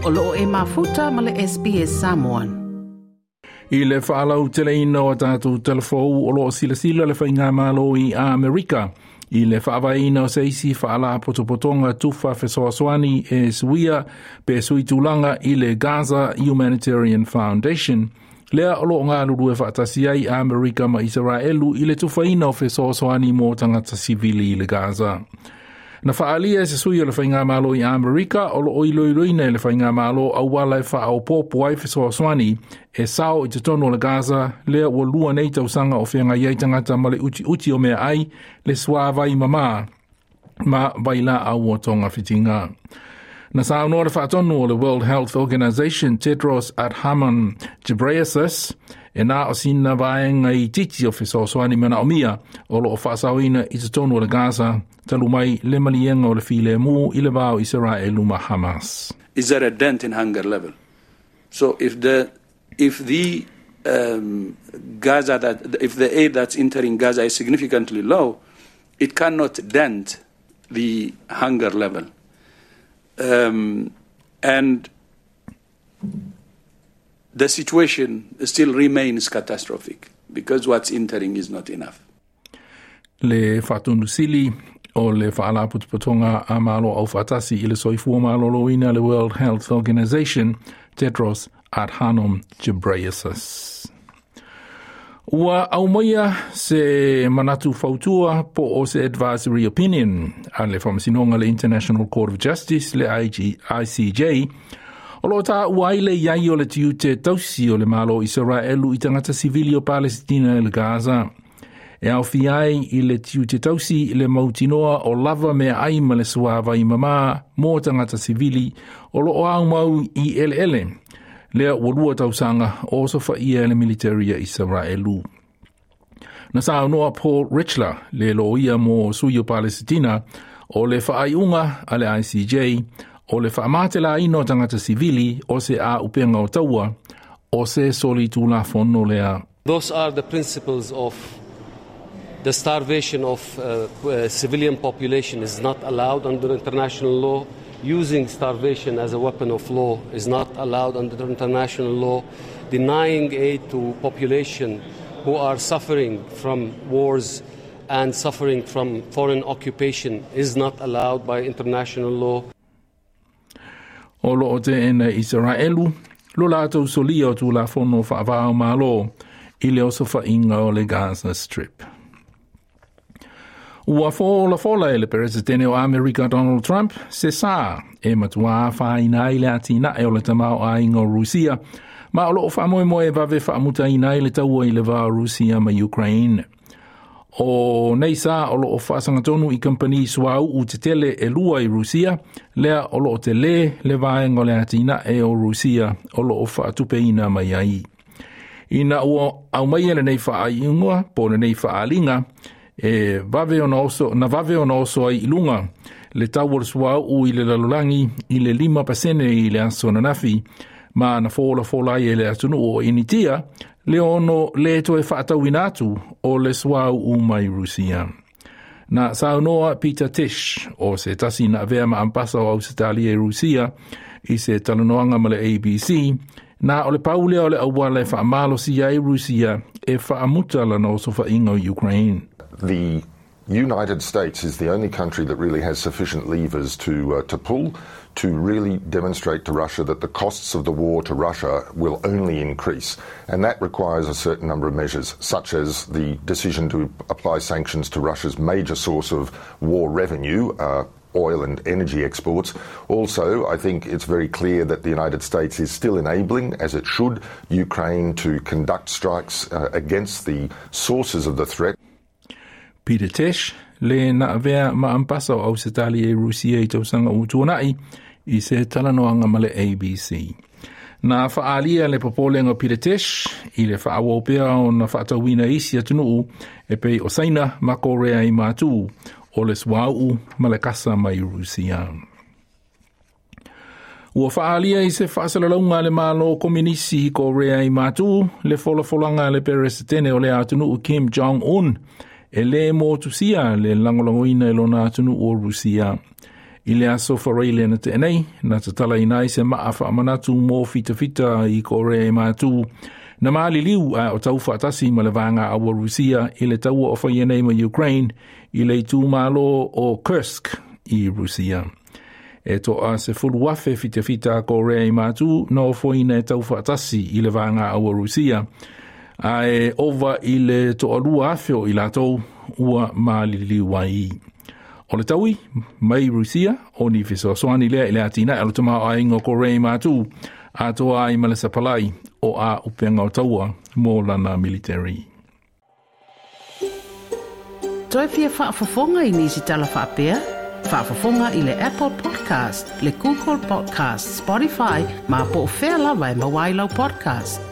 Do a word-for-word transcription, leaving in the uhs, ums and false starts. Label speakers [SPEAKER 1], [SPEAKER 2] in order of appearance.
[SPEAKER 1] O loo e mafuta ma le S B S Samoan.
[SPEAKER 2] I le whaalau teleina o tātou telefou o loo silasila le whainga malo i Amerika. I le whaavaina o seisi whaala potopotonga tufa fesoasoani e suia pe sui tūlanga i le Gaza Humanitarian Foundation. Lea o loo ngā lulue whaatasi ai Amerika ma Israelu i le tufaina o fesoasoani mō tangata sivili i le Gaza. Na whaalia e se sui o le whainga malo i Amerika o lo oiloiloina e le whainga malo au wala e whaopopo ai fesoasoani e sao i te tono o le Gaza lea ua lua nei tausanga o whenga iai tangata ma le uti uti o mea ai le suavai mama ma vaila au o tonga whitinga. Na saunoa le whaatonu o le World Health Organization Tedros Adhanom Ghebreyesus e nā o sina vaenga i titi o fesoasoani mana o mia o lo o whaasauina i te tonu o le Gaza talu mai le malienga o le file mu i le vao Israelu ma Hamas.
[SPEAKER 3] Is there a dent in hunger level? So if the if the um, Gaza that if the aid that's entering Gaza is significantly low, it cannot dent the hunger level. Um, and the situation still remains catastrophic because what's entering is not enough.
[SPEAKER 2] Le whatunusili o le whaalaputuputonga a malo au whatasi i le soifua maloloina le World Health Organization, Tedros Adhanom Ghebreyesus. Ua aumaia se manatu fautua po o se advisory opinion a le whamasinonga le International Court of Justice le I C J o lo tā ua le iai o le tiute tausi o le malo Israelu i tangata sivili o Palestina i le Gaza. E au fiai i le tiute tausi le mautinoa o lava mea ai ma le suava i mama mō tangata sivili o lo o au mau i ele ele. Lea ua lua tausanga o sofa ia le militaria Israelu. Na saunoa Paul Reichler le loia mō sui o Palestina o le whaaiunga a le I C J o le whaamatela ino tangata sivili o se a upenga o taua o se soli tūla fono lea.
[SPEAKER 4] Those are the principles of the starvation of uh, uh, civilian population is not allowed under international law. Using starvation as a weapon of law is not allowed under international law. Denying aid to population who are suffering from wars and suffering from foreign occupation is not allowed by international law.
[SPEAKER 2] O lo o te ena Israelu, lo lātou solia o tūla fono whaavao malo i le oso whainga o le Gaza Strip. Ua fola fola e le presidente o Amerika Donald Trump se sā e matua whaina i le atina e o le tamau a inga o Rusia, ma o loo whamoe moe vave whaamuta ina i le taua i le vā Rusia ma Ukraine. O nei sā o loo whaasangatonu i kampani suau u te tele e lua i Rusia, lea o loo te le le vaenga o le atina e o Rusia o loo whaatupeina mai ai. Ina ua au mai ele nei whaaiunga, po le nei whaalinga, e vave ona oso, na vave ona oso ai ilunga, le tau o le suau u i le lalolangi i le lima pasene i le aso na nafi, ma na fola fola ai e le atunu o initia, le ono le toe whaatauina atu o le suau u mai Rusia. Na saunoa Peter Tisch, o se tasi na vea ma ampasa o Ausitalia i Rusia, i se talanoanga ma le A B C, na o le paulea o le auala e whaamalosi ai Rusia e whaamuta la na oso whainga o Ukraine.
[SPEAKER 5] The United States is the only country that really has sufficient levers to uh, to pull to really demonstrate to Russia that the costs of the war to Russia will only increase. And that requires a certain number of measures, such as the decision to apply sanctions to Russia's major source of war revenue, uh, oil and energy exports. Also, I think it's very clear that the United States is still enabling, as it should, Ukraine to conduct strikes uh, against the sources of the threat.
[SPEAKER 2] Peter Tisch, le na vea ma ampasa o Ausitalia e Rusia i tausanga utuanai i se talanoanga ma le A B C. Na whaalia le popolenga Peter Tisch i le whaawopea o na whaatauina isi atunuu e pei o Saina ma Korea i mātū o le suau ma le kasa mai Rusia. Ua whaalia i se whaasalalaunga le malo komunisi i Korea i mātū le folafolanga le peresetene o le atunuu Kim Jong-un e le motusia le langolangoina e lona atunu o Rusia. I le aso Faraile na tea nei, na tatalaina ai se maa faamanatu mo fitafita i Korea i Matu, na maliliu a o taufaatasi ma le vaega aua Rusia i le taua o faia nei ma Ukraine i le itumalo o Kursk i Rusia. E toa sefulu afe fitafita a Korea i Matu na ofoina e taufaatasi i le vaega aua Rusia, a e ova i le toalua afe o i latou ua maliliu ai. O le taui mai Rusia o ni fesoasoani lea i le atinae o le tamaoaiga o Korea i Matu atoa ai ma le sapalai o a upenga o taua mo lana military.
[SPEAKER 1] Toe fia faafofoga i nisi tala faapea? Faafofoga i le Apple Podcast, le Google Podcast, Spotify, ma po o fea lava e maua ai lau podcast.